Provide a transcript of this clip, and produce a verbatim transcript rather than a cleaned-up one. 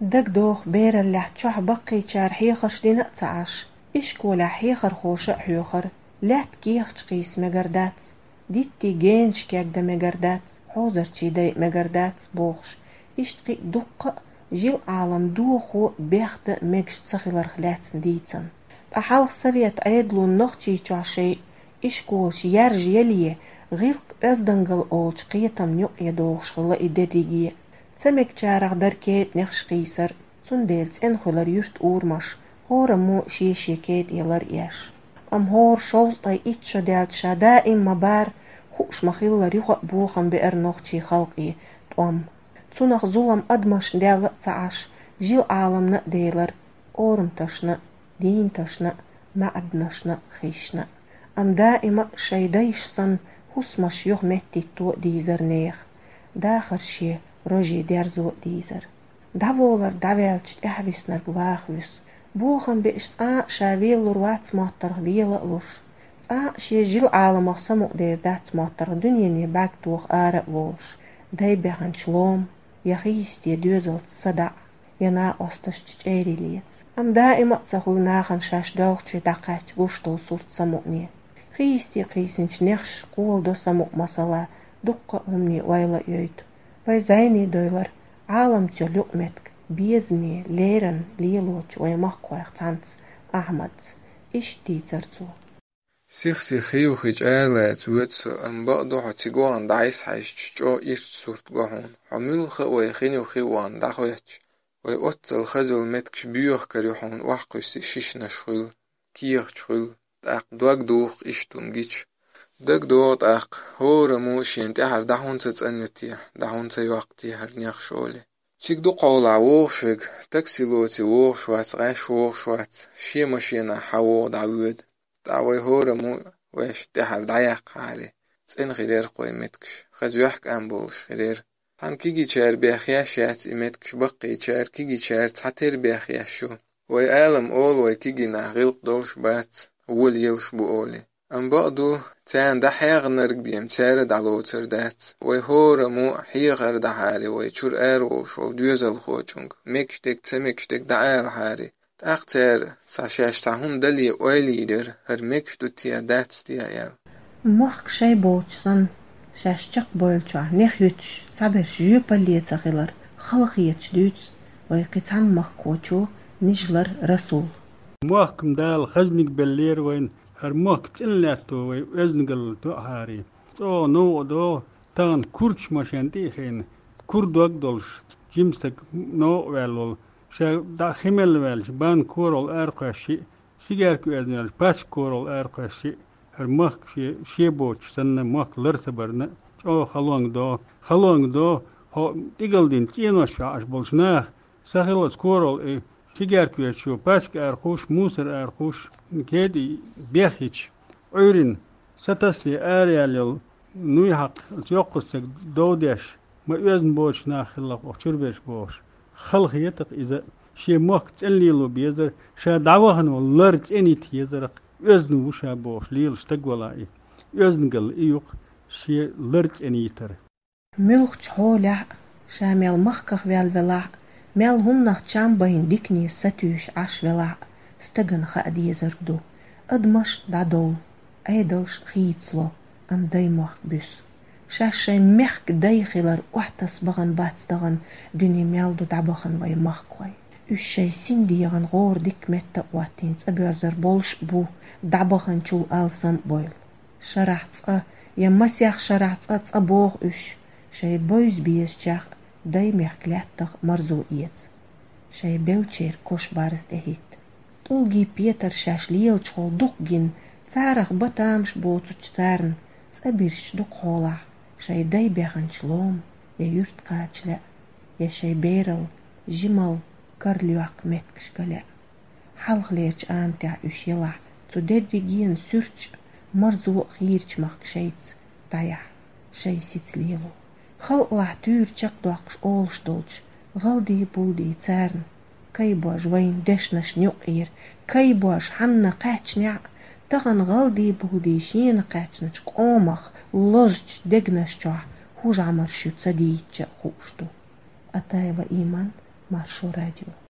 Дагадоху, бераллехь чохь баккхийчара хьехарш дина а ца Ӏаш, ишколехь хьехархоша а хьоьхура, лаьтта кехаташ кхийса мегар дац, диттийн генаш кегдан мегар дац, хьозарчий дайа мегар дац бохуш, иштта кхин а дуккха а жил-Ӏалам дохо бехдан мегаш ца хиларх лаьцна дийцина. Ткъа хьалха совет Ӏедало Нохчийчохь шайн ишколаш яржаяле, гӀиллакх-оьздангалла олучу кхетамна юкъе дохуш хилла и дерриге а. Ца мегачарах дара кетӀанехаш кхийсар, цундела цӀена хуьлура юьртан урамаш, хӀораммо шен-шен кетӀе лар а еш. Амма хӀора шовзткъе итт шо даьлча ша даим ма-барра, хууш ма-хиллара, юха а бохам беара нохчийн халкъе тӀом. Цунах зулам адамашна даьлла а ца Ӏаш, жил-Ӏаламна а делара, орамташна а, дийнаташна а, маьӀданашна а, хишна а. Амма даима а шайн дайша санна хӀусамаш юха меттахӀитто а дийзара нехан, дахар шен роже дерзо а дийзара. ДӀаволар дӀаваьлча тӀаьхьависнарг ваха вуьсу. Бохам беаш цкъа а ша велалур вац моттаргӀа вела а луш, цкъа а шен жил-Ӏаламах самукъадер дац моттаргӀа дуьнене бӀаьрг тоха ара а волуш, дай баьхначу лома я хийсте доьзалца садаӀа, я накъосташца чӀерий леца. Амма даима а ца хуьлу нахана шаьш доьлхучу дӀакхаьчча гуш долу сурт самукъане. Хийсте кхийсинчу нехаш кхоладо самукъа масала, дуккха а хӀумане ойла а йойту. Вай зӀене дойлар Ӏаламца йолу юкъаметтиг безаме, леррина лелочу вайн махкахойх цхьаьнца, Ахьмадца. Иштта дийцара цо. Сих-сиха хи-хи чӀагӀлаца воьду со, амма бакъду хьо цига вахана дӀасахьаьжча, чӀогӀа ирча сурт го хьуна. Хьо муьлхха а вай хин ю хи вахана дӀахӀоьттича, вай оццул хаза йолу меттигаш боьхкур ю хьуна, охьакхуьссий шишнаш хуьлу, кехаташ хуьлу, тӀаккха дог духу иштта хӀума гича. ДагадогӀу тӀаккха, хӀораммо шена тӀаьхьара дӀа хӀунда ца цӀанйо те, дӀа хӀунда ца йоккху те хӀара нехаш олий. Цига дукхахьолахь вогӀуш верг, такси лоций вогӀуш вац, гӀаш вогӀуш вац, шен машенахь хьан вогӀу дӀавоьду. ТӀаккха вай хӀораммо вайшна тӀаьхьара дӀаяккхахьарий, цӀена хир яра-кх вайн меттигаш, хаза йохкам болуш хир яра. Цхьана кегийчара бехъеш яц и меттигаш, баккхийчара, кегийчара цхьатера бехъеш ю. Вай алам олу, вай кегий нах гӀиллакх долуш бац, вола елаш бу олий. Амма бакъду, царна дӀахьегӀнарг бен цара дӀалоцур дац. Вай хӀораммо хьехар дахьарий вай чуьра араволуш волу доьзалхочуьнга, мегаш дерг, ца мегаш дерг дӀаалахьарий. ТӀаккха цара, сан шаьш цхьа хӀума дале, ойла йийр яра, хӀара мегаш ду те, дац те аьлла. Мохк шайн боцуш санна, шаьш чекхбевллачохь нех юьтуш, цхьаберш жоьпалле ца хилар, халахеташ дуьйцу вай кхин цхьана махкахочо, Нижлара Расула. Мохк-м Дала хазниг беллера вайна, хӀара мохк цӀена лаьтто вай оьздангалла тоьхьарий. ЧӀогӀа новкъа догӀу, тахана курчаш машен тӀе а хиъна, кура дог долуш, жима стаг новкъа ваьлла волу, ша дӀа хи мелла ваьлча, бан корал аракхоьссий, сигарка оьзна ваьлча, пачка корал аракхоьссий, хӀара мохк шен, шен боцуш санна, мохк лар ца барна, чӀогӀа халонга догӀу, халонга догӀу, хьо тӀигала дина цӀенош чохь Ӏаш болчу наха, сахиллалц корал и, сигарка оьзучо, пачка аракхуьссуш, мусор аракхуьссуш, кетӀий бехйича, Ӏуьйрина, сатасале араяьлла йолу нуй хьакха оцу йоккхачу стеган дов деш, ма оьзна боцуш нах хилла-кх оха чуьра берш бохуш, халахета-кх иза, шен мохк цӀена лело безара, ша дӀавахана волу лар цӀена йита езара-кх, оьзна ву ша бохуш лелаш стаг валахь и. Оьздангалла и ю-кх, шен лар цӀена йитар. Муьлххачу хьолехь а, ша мел махках ваьлла велахь а, мел хӀуманах чам байна дикане сатуьйсуш Ӏаш велахь а, стагана хаа дезарг ду: адамаш дӀадовлу, Ӏедалш хийцало, амма даймохк буьсу. Шаьш шайн мехкан дай хилар охьатасса бахана бац тахана дуьне мел ду дӀабахана вай махкахой. Уьш шайн синдегӀан гӀора дика метта а хӀоттийна цӀа боьрзур болуш а бу, дӀабаханчул алсам а бойла. Шарахь цкъа я масех шарахь цкъа цӀа боху уьш, шайн бевза безачех а, даймехкан лаьттах а марзо эца. Шайн белчеран кош-барз тӀехӀитта. ТӀулгий петар шаьш лелачухула дукха гина, царах бан тамаш боцучу царна цӀа бирсича дукха хьолахь, шайн дай баьхначу лома я юьрта кхача лаьа, я шайн берал, жимал, кара лоьккху меттигаш ган лаьа. Хьалхалерчу аматехь уьш елахь, цу дерригенан суьрташ а, марзо а хийрачу махка шайца дӀаяхь, шайн сица лело. Халкъалахь туьйра чекхдоккхуш олуш долчу гӀалдий-булдий царна, кайбожа вайна дешнашна юкъера, кайбожа хьанна кхаьчнехь а, тахана гӀалдий-булдий шена кхаьчначу къомах лозучу дегнаш чохь хӀун жӀамарш ю ца дийцча а хууш ду. Атаева Иман, Маршо радио.